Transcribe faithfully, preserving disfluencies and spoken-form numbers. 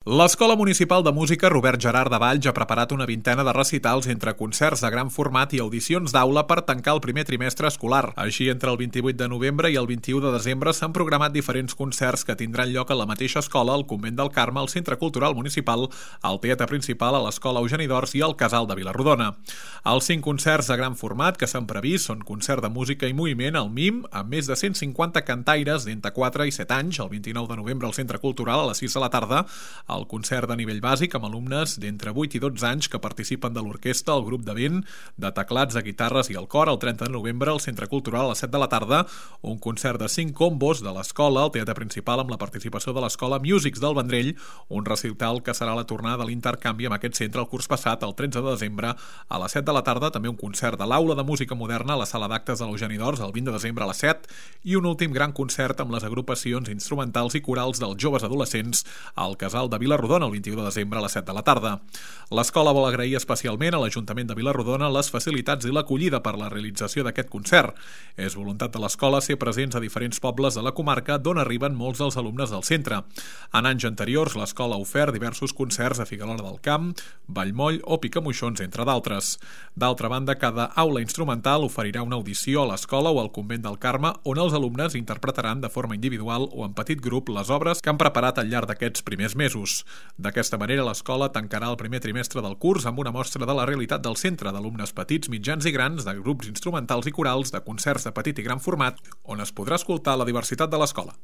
L'Escola Municipal de Música Robert Gerard de Valls ha preparat una vintena de recitals entre concerts de gran format i audicions d'aula per tancar el primer trimestre escolar. Així, entre el vint-i-vuit de novembre i el vint-i-u de desembre s'han programat diferents concerts que tindran lloc a la mateixa escola, al Convent del Carme, al Centre Cultural Municipal, al Teatre Principal, a l'Escola Eugeni d'Ors i al Casal de Vila-rodona. Els cinc concerts de gran format que s'han previst són concert de música i moviment al MIM, amb més de cent cinquanta cantaires d'entre quatre i set anys, el vint-i-nou de novembre al Centre Cultural a les sis de la tarda, el concert de nivell bàsic amb alumnes d'entre vuit i dotze anys que participen de l'orquestra, el grup de vent, de teclats, de guitarres i el cor el trenta de novembre al Centre Cultural a les set de la tarda, un concert de cinc combos de l'escola al Teatre Principal amb la participació de l'Escola Musics del Vendrell, un recital que serà la tornada de l'intercanvi amb aquest centre el curs passat, el tretze de desembre a les set de la tarda, també un concert de l'Aula de Música Moderna a la Sala d'Actes de l'Eugeni d'Ors el vint de desembre a les set i un últim gran concert amb les agrupacions instrumentals i corals dels joves adolescents al Casal de Vila-rodona el vint-i-u de desembre a les set de la tarda. L'escola vol agrair especialment a l'Ajuntament de Vila-rodona les facilitats i l'acollida per la realització d'aquest concert. És voluntat de l'escola ser presents a diferents pobles de la comarca d'on arriben molts dels alumnes del centre. En anys anteriors, l'escola ha ofert diversos concerts a Figuerola del Camp, Vallmoll o Picamoixons, entre d'altres. D'altra banda, cada aula instrumental oferirà una audició a l'escola o al Convent del Carme on els alumnes interpretaran de forma individual o en petit grup les obres que han preparat al llarg d'aquests primers mesos. D'aquesta manera, l'escola tancarà el primer trimestre del curs amb una mostra de la realitat del centre d'alumnes petits, mitjans i grans, de grups instrumentals i corals, de concerts de petit i gran format, on es podrà escoltar la diversitat de l'escola.